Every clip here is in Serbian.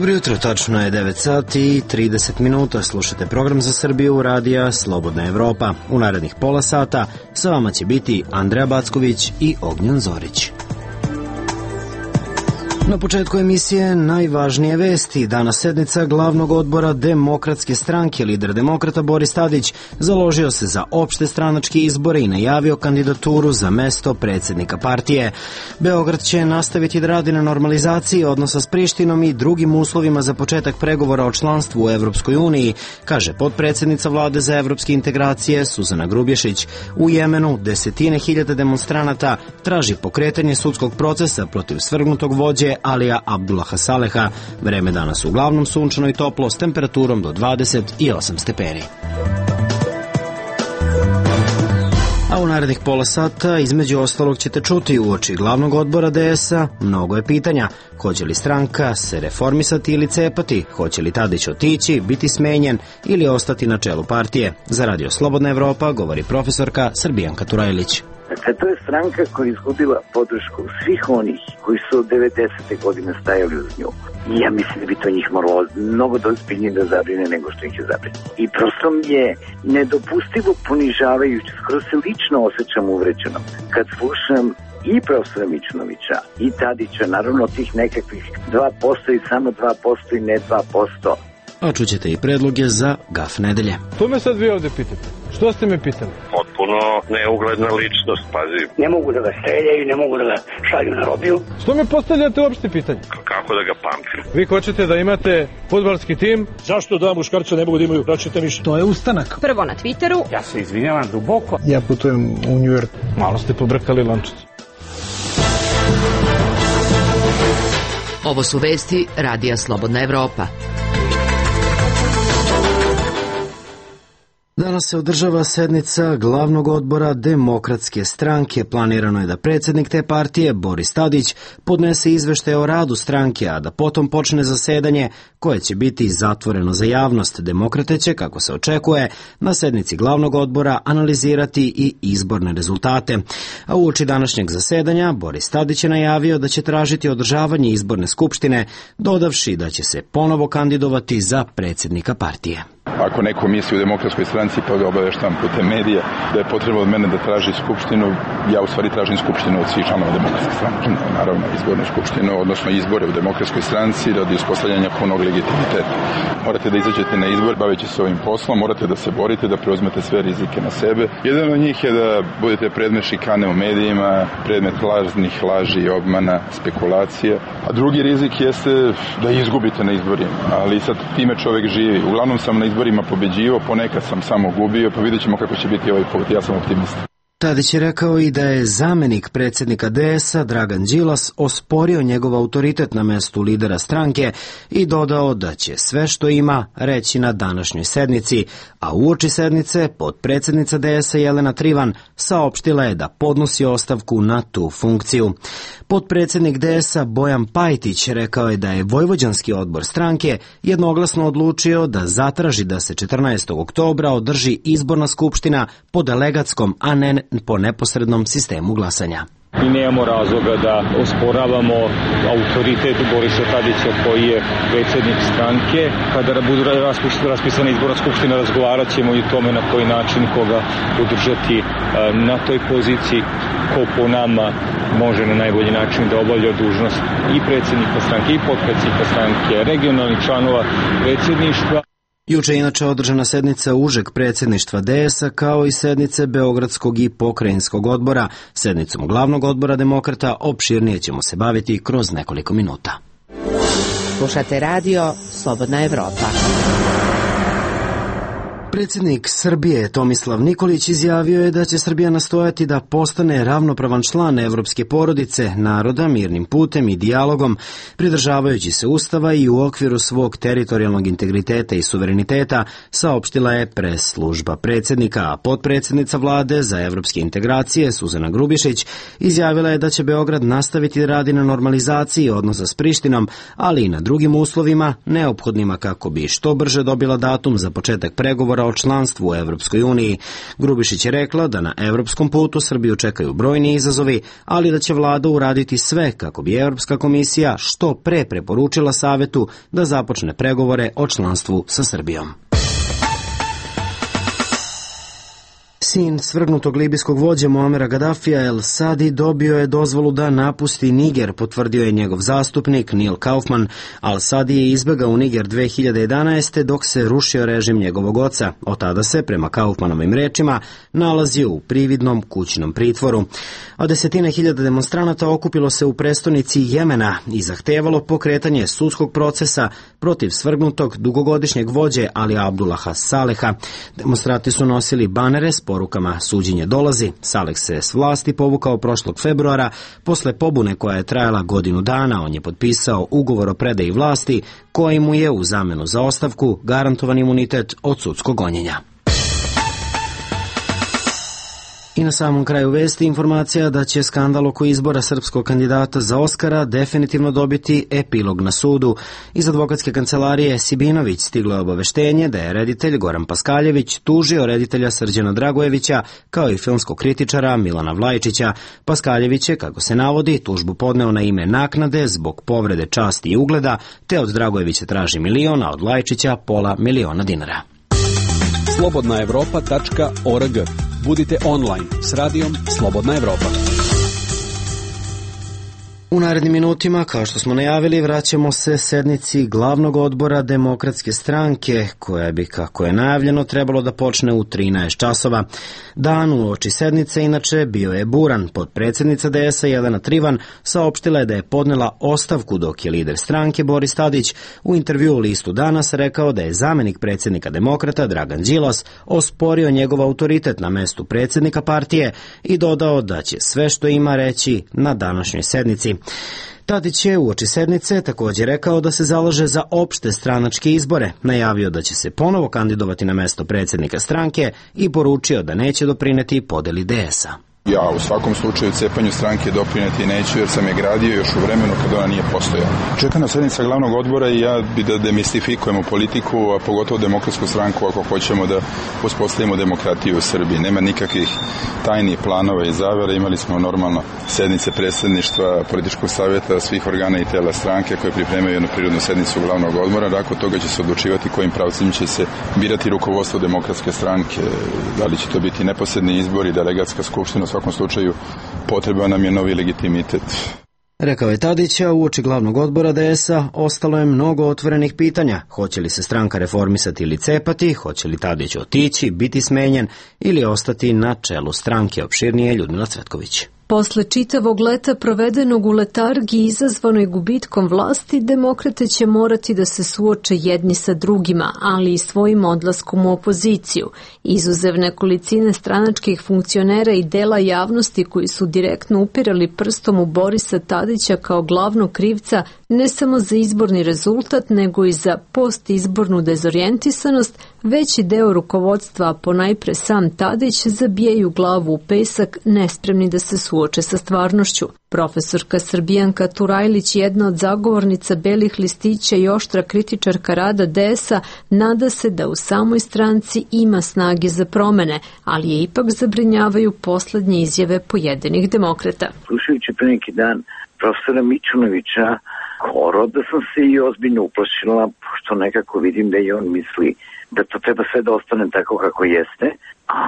Dobro jutro, tačno je 9 sati i 30 minuta. Slušate program za Srbiju radija Slobodna Evropa. U narednih pola sata sa vama će biti Andreja Backović i Ognjen Zorić. Na početku emisije najvažnije vesti. Danas sednica glavnog odbora Demokratske stranke. Lider demokrata Boris Tadić založio se za opšte stranačke izbore i najavio kandidaturu za mesto predsjednika partije. Beograd će nastaviti da radi na normalizaciji odnosa s Prištinom i drugim uslovima za početak pregovora o članstvu u Evropskoj uniji, kaže potpredsjednica vlade za evropske integracije Suzana Grubješić. U Jemenu desetine hiljada demonstranata traži pokretanje sudskog procesa protiv svrgnutog vođe Alija Abdullaha Saleha. Vreme danas uglavnom sunčano i toplo s temperaturom do 28 stepeni. A u narednih pola sata između ostalog ćete čuti uoči glavnog odbora DS-a mnogo je pitanja. Hoće li stranka se reformisati ili cepati? Hoće li Tadić otići, biti smenjen ili ostati na čelu partije? Za Radio Slobodna Evropa govori profesorka Srbijanka Turajlić. Dakle, to je stranka koja je izgubila podršku svih onih koji su od 90. godine stajali uz nju. I ja mislim da bi to njih moralo mnogo ozbiljnije da zabrine nego što ih je zabrine. I prosto mi je nedopustivo ponižavajuće, skoro se lično osjećam uvređeno kad slušam i profesora Mićunovića i Tadića, naravno tih nekakvih 2% i samo 2% i ne 2%. A čućete i predloge za gaf nedelje. To me sad vi ovde pitate. Što ste me pitali? Potpuno neugledna ličnost, pazi. Ne mogu da ga streljaju, ne mogu da ga šalju na robiju. Što me postavljate uopšte pitanje? Kako da ga pamtim? Vi hoćete da imate fudbalski tim? Zašto da muškarca ne mogu da imaju braćete mišlje? To je ustanak. Prvo na Twitteru. Ja se izvinjavam duboko. Ja putujem u New York. Malo ste pobrkali lančicu. Ovo su vesti radija Slobodna Evropa. Danas se održava sednica glavnog odbora Demokratske stranke. Planirano je da predsjednik te partije, Boris Tadić, podnese izveštaj o radu stranke, a da potom počne zasedanje koje će biti zatvoreno za javnost. Demokrate će, kako se očekuje, na sednici glavnog odbora analizirati i izborne rezultate. A uoči današnjeg zasedanja, Boris Tadić je najavio da će tražiti održavanje izborne skupštine, dodavši da će se ponovo kandidovati za predsjednika partije. Ako neko misli u Demokratskoj stranci pa ga obaveštam putem medija da je potrebno od mene da traži skupštinu, ja u stvari tražim skupštinu od svih članova Demokratske stranke. Naravno, izbornu skupštinu, odnosno izbore u Demokratskoj stranci radi uspostavljanja punog legitimiteta. Morate da izađete na izbor, baveći se ovim poslom, morate da se borite, da preuzmete sve rizike na sebe. Jedan od njih je da budete predmet šikane u medijima, predmet lažnih laži, obmana, spekulacija. A drugi rizik jeste da izgubite na izborima, ali sad time čovek živi. Uglavnom sam na izborima pobeđivao, ponekad sam samo gubio, pa vidjet ćemo kako će biti ovaj put, ja sam optimista. Tadić je rekao i da je zamenik predsjednika DS-a Dragan Đilas osporio njegov autoritet na mestu lidera stranke i dodao da će sve što ima reći na današnjoj sednici, a uoči sednice potpredsjednica DS-a Jelena Trivan saopštila je da podnosi ostavku na tu funkciju. Potpredsjednik DS-a Bojan Pajtić rekao je da je Vojvođanski odbor stranke jednoglasno odlučio da zatraži da se 14. oktobra održi izborna skupština po delegatskom, a ne po neposrednom sistemu glasanja. I nemamo razloga da osporavamo autoritet Borisa Tadića koji je predsjednik stranke. Kada bude raspisana izborna skupština, razgovarat ćemo i o tome na koji način koga podržati na toj poziciji, ko po nama može na najbolji način da obavlja dužnost i predsjednika stranke i potpredsjednika stranke, regionalnih članova predsjedništva. Juče je inače održana sednica užeg predsjedništva DS-a kao i sednice Beogradskog i pokrajinskog odbora. Sednicom glavnog odbora Demokrata opširnije ćemo se baviti kroz nekoliko minuta. Slušate radio Slobodna Evropa. Predsjednik Srbije Tomislav Nikolić izjavio je da će Srbija nastojati da postane ravnopravan član evropske porodice naroda mirnim putem i dijalogom, pridržavajući se Ustava i u okviru svog teritorijalnog integriteta i suvereniteta, saopštila je pres služba predsjednika, a potpredsjednica vlade za evropske integracije Suzana Grubješić izjavila je da će Beograd nastaviti da radi na normalizaciji odnosa s Prištinom, ali i na drugim uslovima neophodnima kako bi što brže dobila datum za početak pregovora pregovora o članstvu u Evropskoj uniji. Grubišić je rekla da na evropskom putu Srbiju čekaju brojni izazovi, ali da će vlada uraditi sve kako bi Evropska komisija što pre preporučila Savetu da započne pregovore o članstvu sa Srbijom. Sin svrgnutog libijskog vođe Muamera Gadafija El Sadi dobio je dozvolu da napusti Niger, potvrdio je njegov zastupnik Neil Kaufman. Al Sadi je izbegao u Niger 2011. dok se rušio režim njegovog oca. Od tada se, prema Kaufmanovim rečima, nalazio u prividnom kućnom pritvoru. A desetine hiljada demonstranata okupilo se u prestonici Jemena i zahtevalo pokretanje sudskog procesa protiv svrgnutog dugogodišnjeg vođe Ali Abdullaha Saleha. Demonstranti su nosili banere s porukama "Suđenje dolazi". Saleh se s vlasti povukao prošlog februara posle pobune koja je trajala godinu dana. On je potpisao ugovor o predaji vlasti koji mu je u zamenu za ostavku garantovan imunitet od sudskog gonjenja. I na samom kraju vesti informacija da će skandal oko izbora srpskog kandidata za Oskara definitivno dobiti epilog na sudu. Iz advokatske kancelarije Sibinović stiglo je obaveštenje da je reditelj Goran Paskaljević tužio reditelja Srđana Dragojevića kao i filmskog kritičara Milana Vlajčića. Paskaljević je, kako se navodi, tužbu podneo na ime naknade zbog povrede časti i ugleda, te od Dragojevića traži milion, a od Vlajčića $500.000. slobodnaevropa.org. Budite online s radijom Slobodna Evropa. U narednim minutima, kao što smo najavili, vraćamo se sednici glavnog odbora Demokratske stranke, koja bi, kako je najavljeno, trebalo da počne u 13 časova. Dan uoči sednice, inače, bio je buran. Potpredsjednica DS-a Jelena Trivan saopštila je da je podnela ostavku, dok je lider stranke Boris Tadić u intervjuu listu Danas rekao da je zamenik predsjednika Demokrata Dragan Đilas osporio njegov autoritet na mestu predsjednika partije i dodao da će sve što ima reći na današnjoj sednici. Tadić je uoči sednice također rekao da se zalaže za opšte stranačke izbore, najavio da će se ponovo kandidovati na mesto predsjednika stranke i poručio da neće doprineti podeli DS-a. Ja u svakom slučaju cepanju stranke doprineti neću jer sam je gradio još u vremenu kada ona nije postojala. Čekana sednica glavnog odbora i ja bi da demistifikujemo politiku, a pogotovo demokratsku stranku ako hoćemo da uspostavimo demokratiju u Srbiji. Nema nikakvih tajnih planova i zavere. Imali smo normalno sednice predsjedništva, političkog savjeta, svih organa i tela stranke koje pripremaju jednu prirodnu sednicu glavnog odbora. Nakon toga će se odlučivati kojim pravcima će se birati rukovodstvo demokratske stranke. Da li će to biti neposredni izbori, delegatska skupština. U svakom slučaju potreban nam je novi legitimitet. Rekao je Tadić, a uoči glavnog odbora DS-a ostalo je mnogo otvorenih pitanja. Hoće li se stranka reformisati ili cepati, hoće li Tadić otići, biti smenjen ili ostati na čelu stranke, opširnije Ljudmila Cvetković. Posle čitavog leta provedenog u letargiji izazvanoj gubitkom vlasti, demokrate će morati da se suoče jedni sa drugima, ali i svojim odlaskom u opoziciju. Izuzev nekolicine stranačkih funkcionera i dela javnosti koji su direktno upirali prstom u Borisa Tadića kao glavnog krivca ne samo za izborni rezultat, nego i za postizbornu dezorijentisanost, veći deo rukovodstva, a ponajpre sam Tadić, zabijaju glavu u pesak, nespremni da se suoče sa stvarnošću. Profesorka Srbijanka Turajlić, jedna od zagovornica belih listića i oštra kritičarka rada DS-a, nada se da u samoj stranci ima snage za promene, ali je ipak zabrinjavaju poslednje izjave pojedinih demokrata. Slušajući pre neki dan profesora Mićunovića, da sam se i ozbiljno uplašila, pošto nekako vidim da i on misli da to treba sve da ostane tako kako jeste, a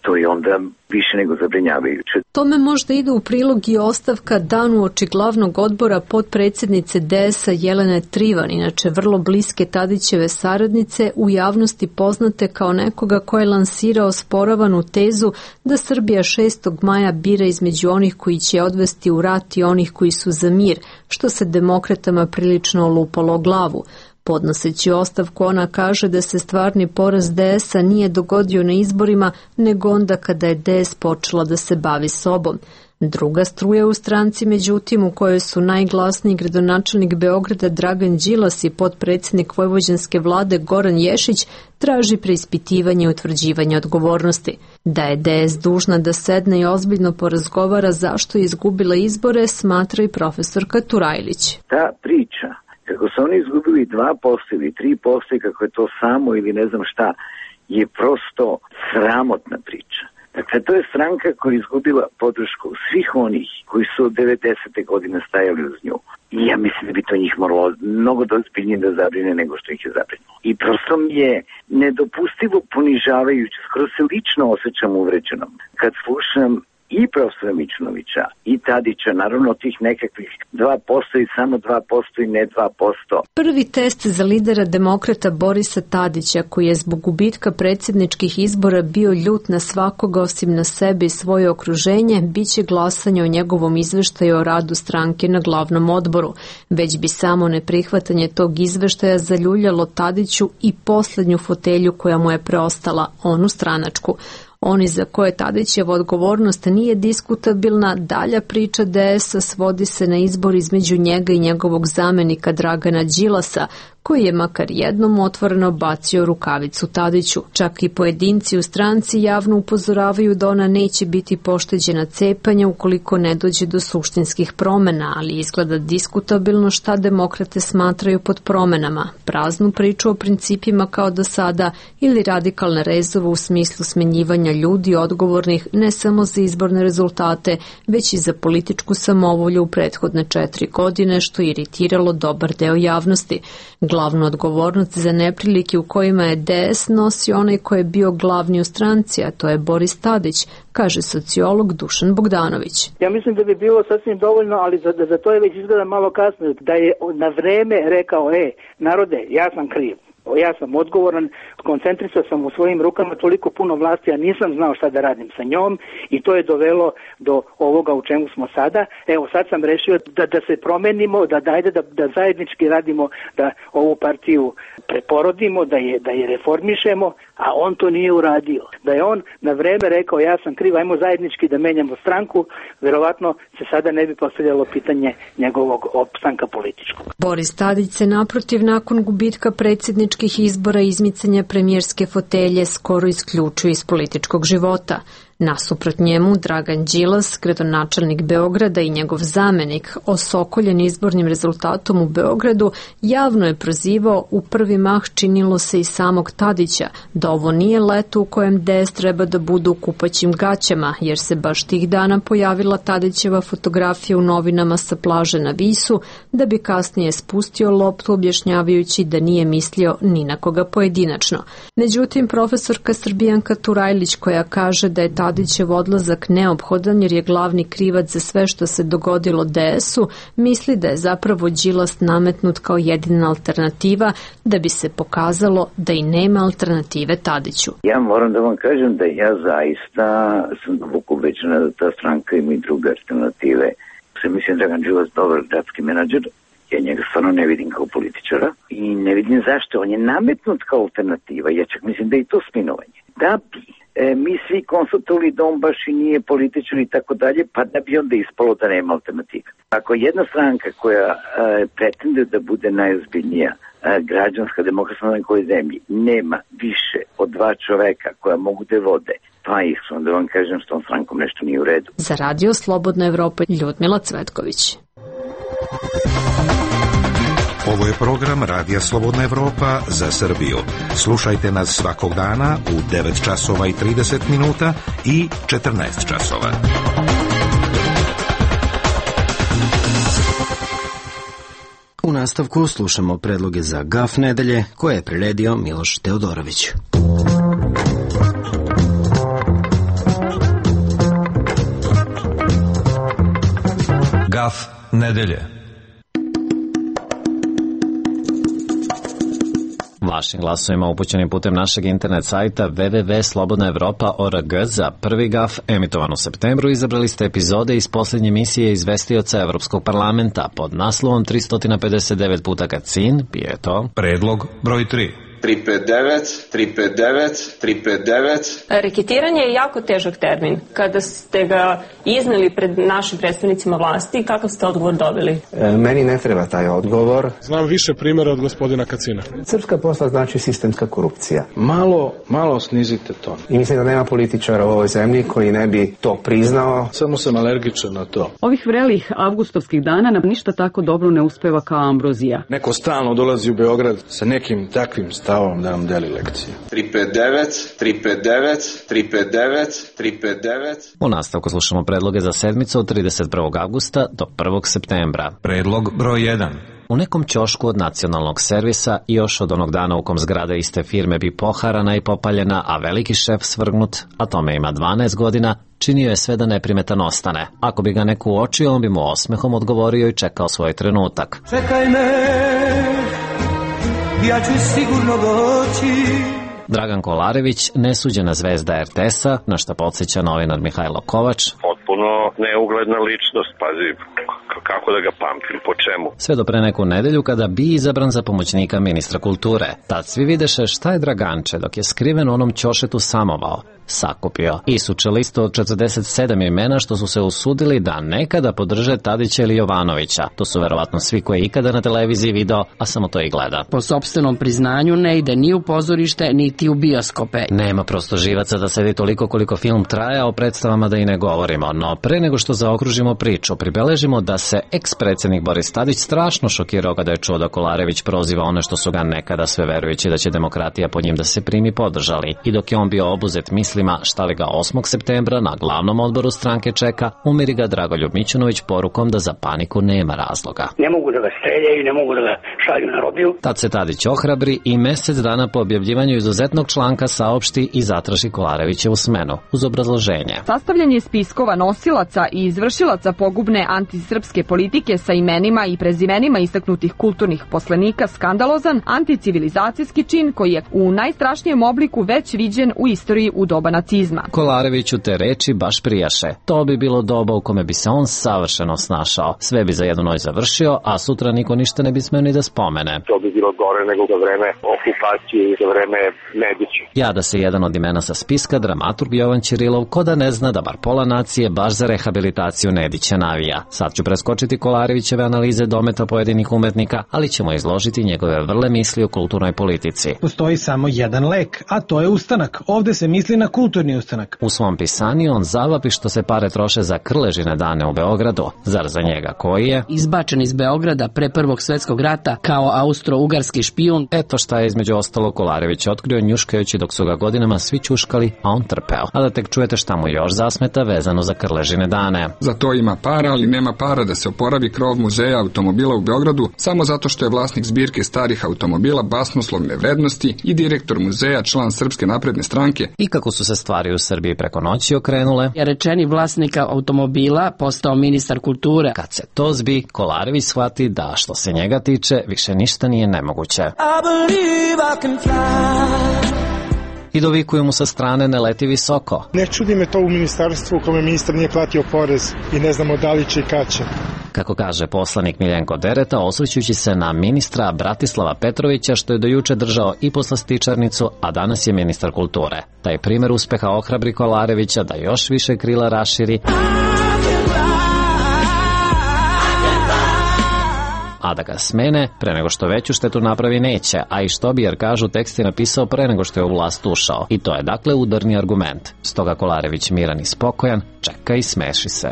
to je onda više nego zabrinjavajuće. Tome možda ide u prilog i ostavka dan uoči glavnog odbora potpredsjednice DS-a Jelene Trivan, inače vrlo bliske Tadićeve saradnice, u javnosti poznate kao nekoga ko je lansirao sporavanu tezu da Srbija 6. maja bira između onih koji će odvesti u rat i onih koji su za mir, što se demokratama prilično olupalo o glavu. Podnoseći ostavku, ona kaže da se stvarni poraz DS-a nije dogodio na izborima, nego onda kada je DS počela da se bavi sobom. Druga struja u stranci, međutim, u kojoj su najglasniji gradonačelnik Beograda Dragan Đilas i potpredsjednik vojvođanske vlade Goran Ješić, traži preispitivanje i utvrđivanje odgovornosti. Da je DS dužna da sedne i ozbiljno porazgovara zašto je izgubila izbore, smatra i profesorka Turajlić. Ta priča kako su oni izgubili 2% ili 3% i kako je to samo ili ne znam šta, je prosto sramotna priča. Dakle, to je stranka koja je izgubila podršku svih onih koji su od 90. godine stajali uz nju. I ja mislim da bi to njih moralo mnogo ozbiljnije da zabrine nego što ih je zabrinulo. I prosto mi je nedopustivo ponižavajuće, skoro se lično osjećam uvređenom kad slušam i profesora Mićunovića i Tadića, naravno tih nekakvih 2% i samo 2% i ne 2%. Prvi test za lidera demokrata Borisa Tadića, koji je zbog gubitka predsjedničkih izbora bio ljut na svakoga osim na sebe i svoje okruženje, biće glasanje o njegovom izveštaju o radu stranke na glavnom odboru. Već bi samo neprihvatanje tog izveštaja zaljuljalo Tadiću i poslednju fotelju koja mu je preostala, onu stranačku. Oni za koje Tadićeva odgovornost nije diskutabilna, dalja priča DS-a svodi se na izbor između njega i njegovog zamenika Dragana Đilasa, koji je makar jednom otvoreno bacio rukavicu Tadiću. Čak i pojedinci u stranci javno upozoravaju da ona neće biti pošteđena cepanja ukoliko ne dođe do suštinskih promena, ali izgleda diskutabilno šta demokrate smatraju pod promenama, praznu priču o principima kao do sada ili radikalne rezove u smislu smenjivanja ljudi odgovornih ne samo za izborne rezultate, već i za političku samovolju u prethodne 4 godine, što je iritiralo dobar deo javnosti. Glavnu odgovornost za neprilike u kojima je DS nosi onaj ko je bio glavni u stranci, a to je Boris Tadić, kaže sociolog Dušan Bogdanović. Ja mislim da bi bilo sasvim dovoljno, ali za to je već izgleda malo kasno, da je na vreme rekao, narode, ja sam kriv. Ja sam odgovoran, koncentrisao sam u svojim rukama toliko puno vlasti, a nisam znao šta da radim sa njom i to je dovelo do ovoga u čemu smo sada. Evo sad sam rešio da se promenimo, da zajednički radimo, da ovu partiju preporodimo, da je reformišemo, a on to nije uradio. Da je on na vreme rekao ja sam kriv, ajmo zajednički da menjamo stranku, verovatno se sada ne bi postavljalo pitanje njegovog opstanka političkog. Boris Tadić se naprotiv nakon gubitka predsjedničkih izbora i izmicanja premijerske fotelje skoro isključio iz političkog života. Nasuprot njemu, Dragan Đilas, gradonačelnik Beograda i njegov zamenik, osokoljen izbornim rezultatom u Beogradu, javno je prozivao, u prvi mah činilo se i samog Tadića, da ovo nije leto u kojem DS treba da budu u kupaćim gaćama, jer se baš tih dana pojavila Tadićeva fotografija u novinama sa plaže na Visu, da bi kasnije spustio loptu objašnjavajući da nije mislio ni na koga pojedinačno. Međutim, profesorka Srbijanka Turajlić, koja kaže da je Tadićev odlazak neophodan jer je glavni krivac za sve što se dogodilo DS-u, misli da je zapravo Đilas nametnut kao jedina alternativa da bi se pokazalo da i nema alternative Tadiću. Ja moram da vam kažem da ja zaista sam duboko ubeđena da ta stranka ima i druge alternative. Mislim da je Đilas dobar gradski menadžer, ja njega stvarno ne vidim kao političara i ne vidim zašto. On je nametnut kao alternativa, ja čak mislim da je i to sminovanje. Da bi mi svi konstatovali da on baš i nije političar i tako dalje, pa da bi onda ispalo da nema alternative. Ako jedna stranka koja pretende da bude najozbiljnija građanska demokratska na nekoj zemlji nema više od 2 čoveka koja mogu da vode, pa ih su, onda vam kažem s tom strankom nešto nije u redu. Za Radio Slobodna Evropa, Ljudmila Cvetković. Ovo je program Radija Slobodna Evropa za Srbiju. Slušajte nas svakog dana u 9 časova i 30 minuta i 14 časova. U nastavku slušamo predloge za GAF nedelje koje je priredio Miloš Teodorović. GAF nedelje. Vašim glasovima upućenim putem našeg internet sajta www.slobodnaevropa.org za prvi GAF emitovan u septembru izabrali ste epizode iz posljednje emisije izvestioca Evropskog parlamenta pod naslovom 359 puta kad sin pije to. Predlog broj 3. 359. Reketiranje je jako težak termin. Kada ste ga izneli pred našim predstavnicima vlasti, kakav ste odgovor dobili? Meni ne treba taj odgovor. Znam više primjera od gospodina Kacina. Srpska posla znači sistemska korupcija. Malo snizite ton. I mislim da nema političara u ovoj zemlji koji ne bi to priznao. Samo sam alergičan na to. Ovih vrelih avgustovskih dana nam ništa tako dobro ne uspeva kao ambrozija. Neko stalno dolazi u Beograd sa nekim takvim stavima. Savom da nam deli lekcije. 359. U nastavku slušamo predloge za sedmicu od 31. avgusta do 1. septembra. Predlog broj 1. U nekom ćošku od nacionalnog servisa još od onog dana u kom zgrada iste firme bi poharana i popaljena, a veliki šef svrgnut, a tome ima 12 godina, činio je sve da neprimetan ostane. Ako bi ga neko uočio, on bi mu osmehom odgovorio i čekao svoj trenutak. Čekaj me, ja ću sigurno doći. Dragan Kolarević, nesuđena zvezda RTS-a, na što podsjeća novinar Mihajlo Kovač. Potpuno neugledna ličnost, pazi, kako da ga pamtim, po čemu? Sve do pre neku nedelju kada bi izabran za pomoćnika ministra kulture. Tad svi videše šta je Draganče dok je skriven u onom ćošetu samovao. Sakupio i suče listu od 47 imena što su se usudili da nekada podrže Tadića ili Jovanovića. To su verovatno svi koji je ikada na televiziji video, a samo to i gleda. Po sopstvenom priznanju ne ide ni u pozorište, niti u bioskope. Nema prosto živaca da sedi toliko koliko film traje, a o predstavama da i ne govorimo. No pre nego što zaokružimo priču, pribeležimo da se eks-predsjednik Boris Tadić strašno šokirao kada je čuo da Kolarević proziva one što su ga nekada sve verujući da će demokratija po njim da se primi podržali. I dok je on bio obuzet šta li ga 8. septembra na glavnom odboru stranke čeka, umiri ga Dragoljub Mićunović porukom da za paniku nema razloga. Ne mogu da ga streljaju, ne mogu da ga šalju na robiju. Tad se Tadić ohrabri i mesec dana po objavljivanju izuzetnog članka saopšti i zatraži Kolarevićevu smenu, uz obrazloženje. Sastavljanje spiskova nosilaca i izvršilaca pogubne antisrpske politike sa imenima i prezimenima istaknutih kulturnih poslenika skandalozan anticivilizacijski čin koji je u najstrašnijem obliku već viđen u istoriji u doba nacizma. Kolareviću te reči baš prijaše. To bi bilo doba u kome bi se on savršeno snašao. Sve bi za jednu noć završio, a sutra niko ništa ne bi smeo ni da spomene. To bi bilo gore nego za vreme okupacije i za vreme Nedića. Jada se jedan od imena sa spiska, dramaturg Jovan Ćirilov, ko da ne zna da bar pola nacije baš za rehabilitaciju Nedića navija. Sad ću preskočiti Kolarevićeve analize dometa pojedinih umetnika, ali ćemo izložiti njegove vrle misli o kulturnoj politici. Postoji samo jedan lek, a to je ustanak. Ovde se misli na kulturni ustanak. U svom pisanju on zavapi što se pare troše za Krležine dane u Beogradu. Zar za njega koji je izbačen iz Beograda pre Prvog svjetskog rata kao austro-ugarski špijun? Eto šta je između ostalo Kolarević otkrio njuškajući dok su ga godinama svi ćuškali, a on trpeo. A da tek čujete šta mu još zasmeta vezano za Krležine dane. Za to ima para, ali nema para da se oporavi krov muzeja automobila u Beogradu samo zato što je vlasnik zbirke starih automobila basnoslovne vrednosti i direktor muzeja član Srpske napredne stranke. I kako su se stvari u Srbiji preko noći okrenule, je rečeni vlasnika automobila postao ministar kulture. Kad se to zbi, Kolarević shvati da što se njega tiče više ništa nije nemoguće. I dovikuju mu sa strane ne leti visoko. Ne čudi me to u ministarstvu u kome ministar nije platio porez i ne znamo da li će i kad će. Kako kaže poslanik Miljenko Dereta, osvrćući se na ministra Bratislava Petrovića što je do juče držao i poslastičarnicu, a danas je ministar kulture. Taj primjer uspeha ohrabri Kolarevića da još više krila raširi, a da ga smene pre nego što veću štetu napravi neće, a i što bi, jer kažu tekst je napisao pre nego što je u vlast ušao. I to je dakle udarni argument. Stoga Kolarević miran i spokojan, čeka i smeši se.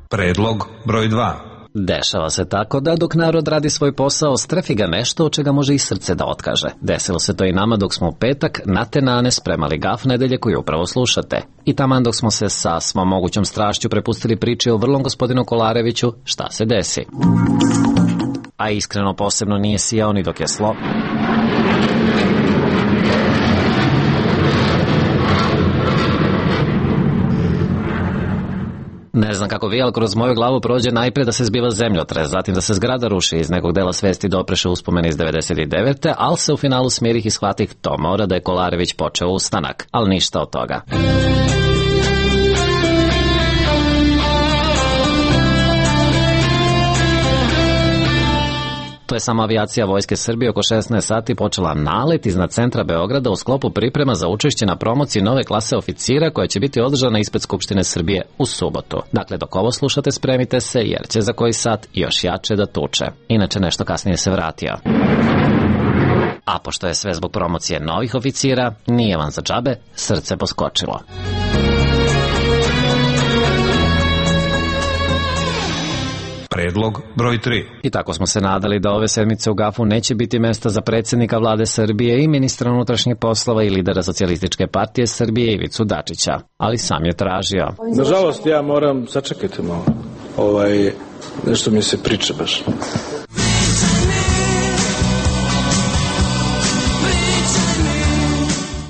Predlog broj 2. Dešava se tako da dok narod radi svoj posao, strefi ga nešto od čega može i srce da otkaže. Desilo se to i nama dok smo u petak na tenane spremali gaf nedelje koju upravo slušate. I taman dok smo se sa svom mogućom strašću prepustili priče o vrlom gospodinu Kolareviću, šta se desi. A iskreno posebno nije sijao ni dok je Ne znam kako vi, ali kroz moju glavu prođe najpre da se zbiva zemljotres, zatim da se zgrada ruši, iz nekog dela svesti dopreše uspomene iz 99. ali se u finalu smirih i shvatih to mora da je Kolarević počeo ustanak, ali ništa od toga. To je samo avijacija Vojske Srbije oko 16 sati počela nalet iznad centra Beograda u sklopu priprema za učešće na promociji nove klase oficira koja će biti održana ispred Skupštine Srbije u subotu. Dakle, dok ovo slušate, spremite se jer će za koji sat još jače da tuče. Inače nešto kasnije se vratio. A pošto je sve zbog promocije novih oficira, nije vam za džabe srce poskočilo. Predlog broj 3. I tako smo se nadali da ove sedmice u GAF-u neće biti mesta za predsjednika vlade Srbije i ministra unutrašnjih poslova i lidera Socijalističke partije Srbije Ivicu Dačića, ali sam je tražio. Nažalost, ja moram, sačekajte malo, nešto mi se priča baš.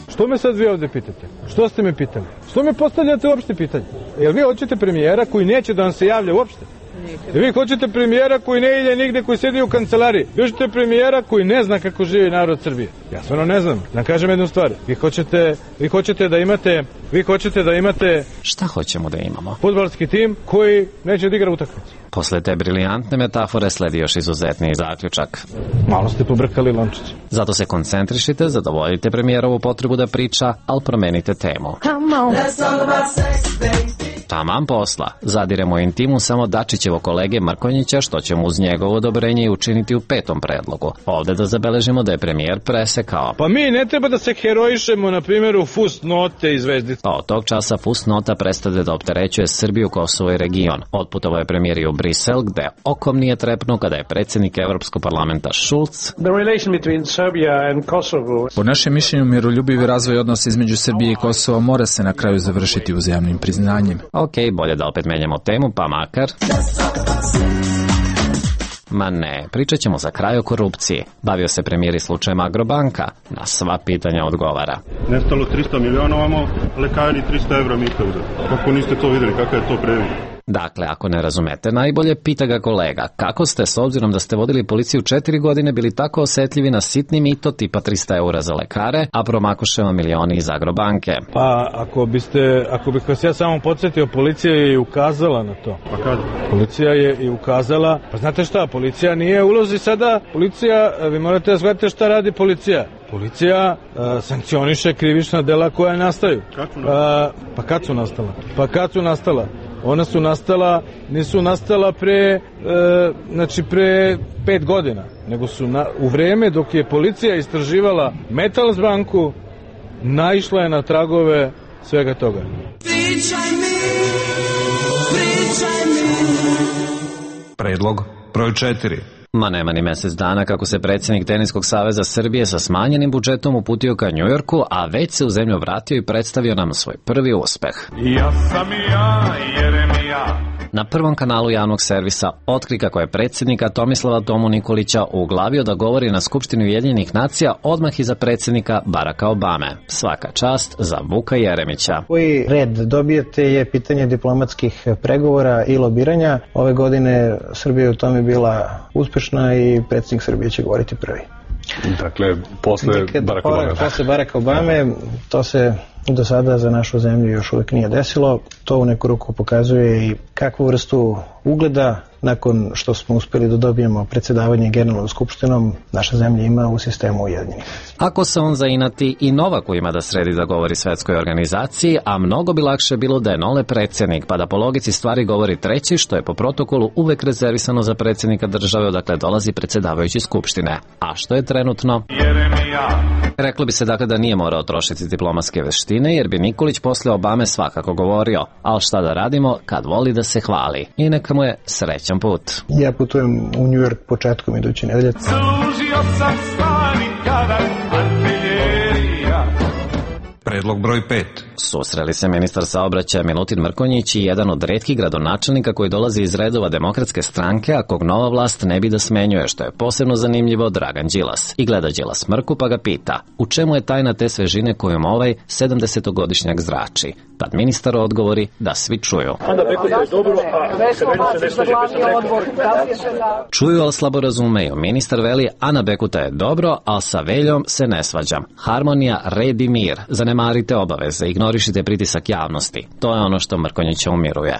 Što me sad vi ovde pitate? Što ste me pitali? Što me postavljate uopšte pitanje? Jel vi hoćete premijera koji neće da vam se javlja uopšte? Vi hoćete premijera koji ne ide nigde, koji sedi u kancelariji. Vi hoćete premijera koji ne zna kako živi narod Srbije. Ja stvarno ne znam. Da kažem jednu stvar. Vi hoćete da imate... Šta hoćemo da imamo? Fudbalski tim koji neće da igra utakmicu. Posle te briljantne metafore sledi još izuzetniji zaključak. Malo ste pobrkali lončić. Zato se koncentrišite, zadovoljite premijerovu potrebu da priča, ali promenite temu. Taman posla. Zadiremo intimu samo Dačićevo kolege Mrkonjića, što ćemo uz njegovo odobrenje i učiniti u 5. predlogu. Ovde da zabeležimo da je premijer presekao. Pa mi ne treba da se herojišemo, na primjer, u fusnote i zvezdice. Od tog časa fusnota prestade da opterećuje Srbiju, Kosovo i region. Otputovao je premijer i u Brisel, gde okom nije trepnuo kada je predsjednik Evropskog parlamenta Schulz. Po našem mišljenju, miroljubivi razvoj odnosa između Srbije i Kosova mora se na kraju završiti uzajamnim priznanjem. Ok, bolje da opet menjamo temu, pa makar... Ma ne, pričat ćemo za kraj o korupciji. Bavio se premijer i slučajem Agrobanka. Na sva pitanja odgovara. Nestalo 300 miliona ovamo, lekari 300 evra mita uzeli. Kako niste to videli, kakav je to previd? Dakle, ako ne razumete, najbolje pita ga kolega. Kako ste, s obzirom da ste vodili policiju 4 godine, bili tako osjetljivi na sitni mito tipa 300 eura za lekare, a promakoše vam milioni iz Agrobanke? Pa, ako bih vas ja samo podsjetio, policija je i ukazala na to. Pa kada? Policija je i ukazala. Pa znate šta, policija nije ulozi sada. Policija, vi morate da shvatite šta radi policija. Policija sankcioniše krivična dela koja nastaju. Kad su nastala? Ona su nastala, nisu nastala pre 5 godina, nego su u vreme dok je policija istraživala Metalsbanku, naišla je na tragove svega toga. Predlog broj 4. Ma nema ni mesec dana kako se predsjednik Teniskog saveza Srbije sa smanjenim budžetom uputio ka Njujorku, a već se u zemlju vratio i predstavio nam svoj prvi uspeh. Ja sam ja, Jeremija. Na prvom kanalu javnog servisa otkri kako je predsjednika Tomislava Tomu Nikolića uglavio da govori na Skupštini Ujedinjenih nacija odmah iza predsjednika Baracka Obame. Svaka čast za Vuka Jeremića. Koji red dobijete je pitanje diplomatskih pregovora i lobiranja. Ove godine Srbija u tome bila uspešna i predsjednik Srbije će govoriti prvi. Dakle, posle Baracka Obame. Posle Baracka Obame, to se do sada za našu zemlju još uvijek nije desilo. To u neku ruku pokazuje i kakvu vrstu ugleda nakon što smo uspjeli da dobijemo predsjedavanje Generalnom skupštinom naša zemlja ima u sistemu Ujedinjenih. Ako se on zainati i Novaku ima da sredi da govori svetskoj organizaciji, a mnogo bi lakše bilo da je Nole predsjednik, pa da po logici stvari govori treći, što je po protokolu uvek rezervisano za predsjednika države odakle dolazi predsjedavajući skupštine. A što je trenutno? Jeremija. Reklo bi se dakle da nije morao trošiti diplomatske veštine, jer bi Nikolić posle Obame svakako govorio. Ali šta da radimo kad voli da se hvali? I neka mu je srećan put. Ja putujem u New York početkom iduće nedelje. Služio sam stvari kada artiljerija. Predlog broj 5. Susreli se ministar saobraćaja Milutin Mrkonjić i jedan od retkih gradonačelnika koji dolazi iz redova Demokratske stranke, a kog nova vlast ne bi da smenjuje, što je posebno zanimljivo Dragan Đilas. I gleda Đilas Mrku pa ga pita, u čemu je tajna te svežine kojom ovaj 70-godišnjak zrači? Tad ministar odgovori da svi čuju. Čuju, ali slabo razumeju. Ministar veli, Ana Bekuta je dobro, ali sa Veljom se ne svađam. Harmonija, red i mir. Zanemarite obaveze, ignorišite pritisak javnosti. To je ono što Mrkonjića umiruje.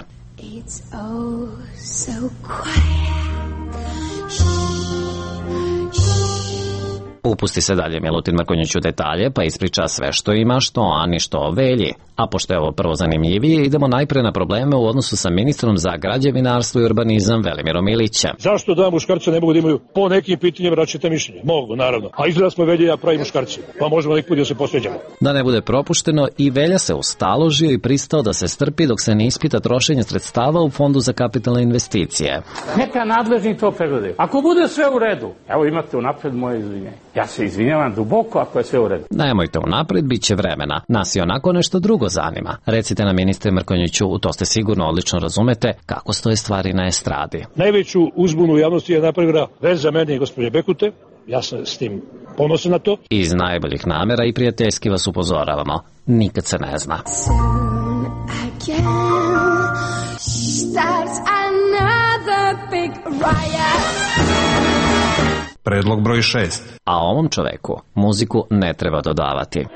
Upusti se dalje Milutin Mrkonjić u detalje, pa ispriča sve što ima, što o Ani, što o Velji. A pošto je ovo prvo zanimljivije, idemo najpre na probleme u odnosu sa ministrom za građevinarstvo i urbanizam Velimirom Ilićem. Zašto da muškarci ne mogu da imaju po nekim pitanjima različite mišljenje? Mogu, naravno. A izgleda smo Velja i ja pravi muškarci, pa možemo neki put da se posveđamo. Da ne bude propušteno, i Velja se ustaložio i pristao da se strpi dok se ne ispita trošenje sredstava u Fondu za kapitalne investicije. Neka nadležni to pregledaju. Ako bude sve u redu, evo imate unapred moje izvinjenje. Ja se izvinjavam duboko ako je sve u redu. Nemojte unapred, bit će vremena. Nas i onako nešto drugo zanima. Recite nam, ministre Mrkonjiću, u to ste sigurno odlično razumete, kako stoje stvari na estradi. Najveću uzbunu u javnosti je napravila veza mene i gospođe Bekute. Ja sam s tim ponosan na to. Iz najboljih namera i prijateljski vas upozoravamo. Nikad se ne zna. Predlog broj 6. A ovom čoveku muziku ne treba dodavati.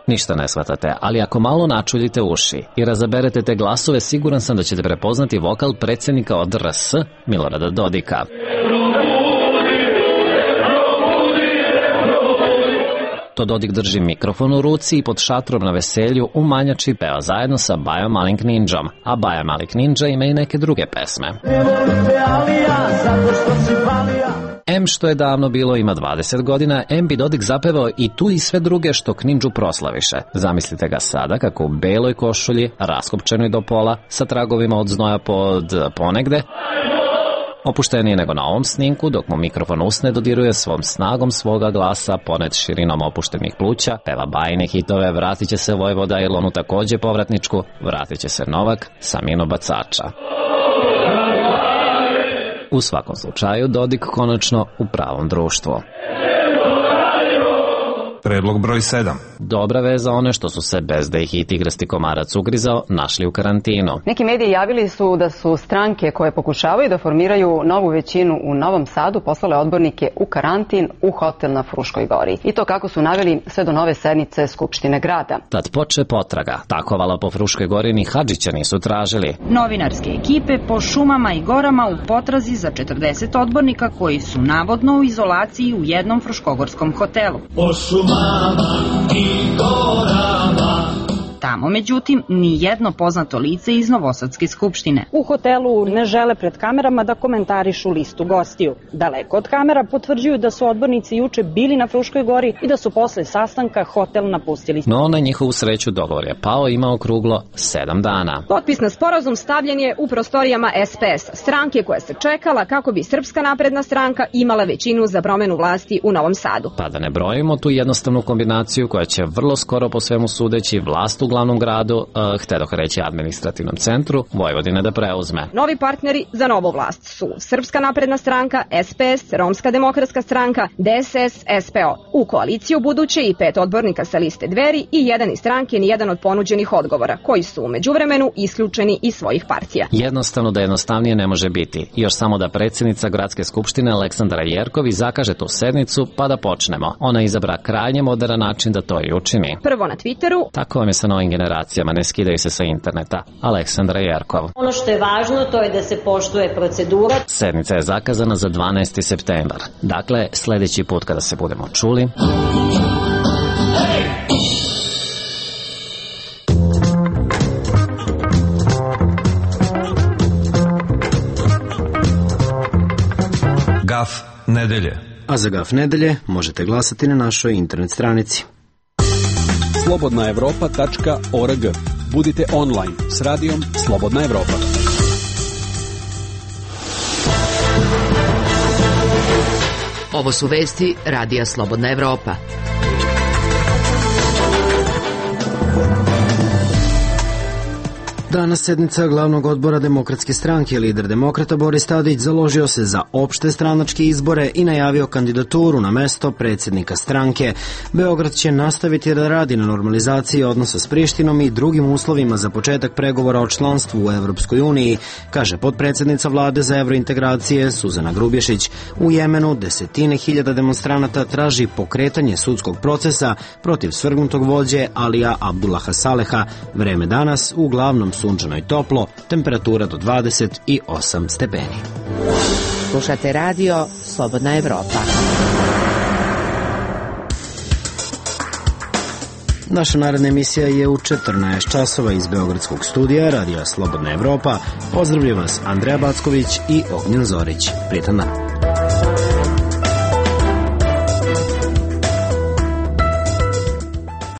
Ništa ne shvatate, ali ako malo načuljite uši i razaberete te glasove, siguran sam da ćete prepoznati vokal predsjednika od RS, Milorada Dodika. To Dodik drži mikrofon u ruci i pod šatrom na veselju u Manjači peva zajedno sa Baja Malik Ninjom, a Baja Malik Ninja ima i neke druge pesme. M što je davno bilo ima 20 godina, M bi Dodik zapevao i tu i sve druge što Ninju proslaviše. Zamislite ga sada kako u beloj košulji, raskopčenoj do pola, sa tragovima od znoja pod ponegde, opušteniji nego na ovom snimku, dok mu mikrofon usne dodiruje svom snagom svoga glasa, ponet širinom opuštenih pluća, peva bajne hitove, vratit će se Vojvoda Ilonu takođe povratničku, vratit će se Novak, Samino Bacača. U svakom slučaju, Dodik konačno u pravom društvu. Predlog broj 7. Dobra veza za one što su se, bez da ih i tigrasti komarac ugrizao, našli u karantinu. Neki mediji javili su da su stranke koje pokušavaju da formiraju novu većinu u Novom Sadu poslale odbornike u karantin u hotel na Fruškoj gori. I to kako su naveli sve do nove sednice Skupštine grada. Tad poče potraga. Takovala po Fruškoj gori ni Hadžića nisu tražili. Novinarske ekipe po šumama i gorama u potrazi za 40 odbornika koji su navodno u izolaciji u jednom fruškogorskom hotelu. Po šumama i gorama. Tamo, međutim, ni jedno poznato lice iz Novosadske skupštine. U hotelu ne žele pred kamerama da komentarišu listu gostiju. Daleko od kamera potvrđuju da su odbornici juče bili na Fruškoj gori i da su posle sastanka hotel napustili. No, na njihovu sreću dogovor je pao, ima okruglo 7 dana. Potpis na sporazum stavljen je u prostorijama SPS, stranke koja se čekala kako bi Srpska napredna stranka imala većinu za promenu vlasti u Novom Sadu. Pa da ne brojimo tu jednostavnu kombinaciju koja će vrlo skoro po svemu sudeći vlast u glavnom gradu, htedoh reći administrativnom centru, Vojvodine da preuzme. Novi partneri za novu vlast su Srpska napredna stranka, SPS, Romska demokratska stranka, DSS, SPO. U koaliciju buduće i 5 odbornika sa liste Dveri i jedan iz stranke ni jedan od ponuđenih odgovora, koji su u međuvremenu isključeni iz svojih partija. Jednostavno da jednostavnije ne može biti. Još samo da predsjednica Gradske skupštine Aleksandra Jerković zakaže tu sednicu pa da počnemo. Ona izabra krajnje moderan način da to i učini. Prvo na Twitteru. Tako vam je sa novim generacijama, ne skidaju se sa interneta. Aleksandra Jerkov. Ono što je važno to je da se poštuje procedura. Sednica je zakazana za 12. septembar. Dakle, sljedeći put kada se budemo čuli... Gaf nedelje. A za Gaf nedelje možete glasati na našoj internet stranici. slobodnaevropa.org. Budite online s radijom Slobodna Evropa. Ovo su vesti Radija Slobodna Evropa. Danas sednica glavnog odbora Demokratske stranke, lider demokrata Boris Tadić založio se za opšte stranačke izbore i najavio kandidaturu na mesto predsjednika stranke. Beograd će nastaviti da radi na normalizaciji odnosa s Prištinom i drugim uslovima za početak pregovora o članstvu u Evropskoj uniji, kaže potpredsjednica vlade za evrointegracije Suzana Grubješić. U Jemenu desetine hiljada demonstranata traži pokretanje sudskog procesa protiv svrgnutog vođe Alija Abdullaha Saleha. Vreme danas u glavnom sudu sunčano i toplo, temperatura do 28 stepeni. Slušate radio Slobodna Evropa. Naša naredna emisija je u 14 časova iz Beogradskog studija Radija Slobodna Evropa. Pozdravljam vas Andreja Backović i Ognjen Zorić. Prijetan dan.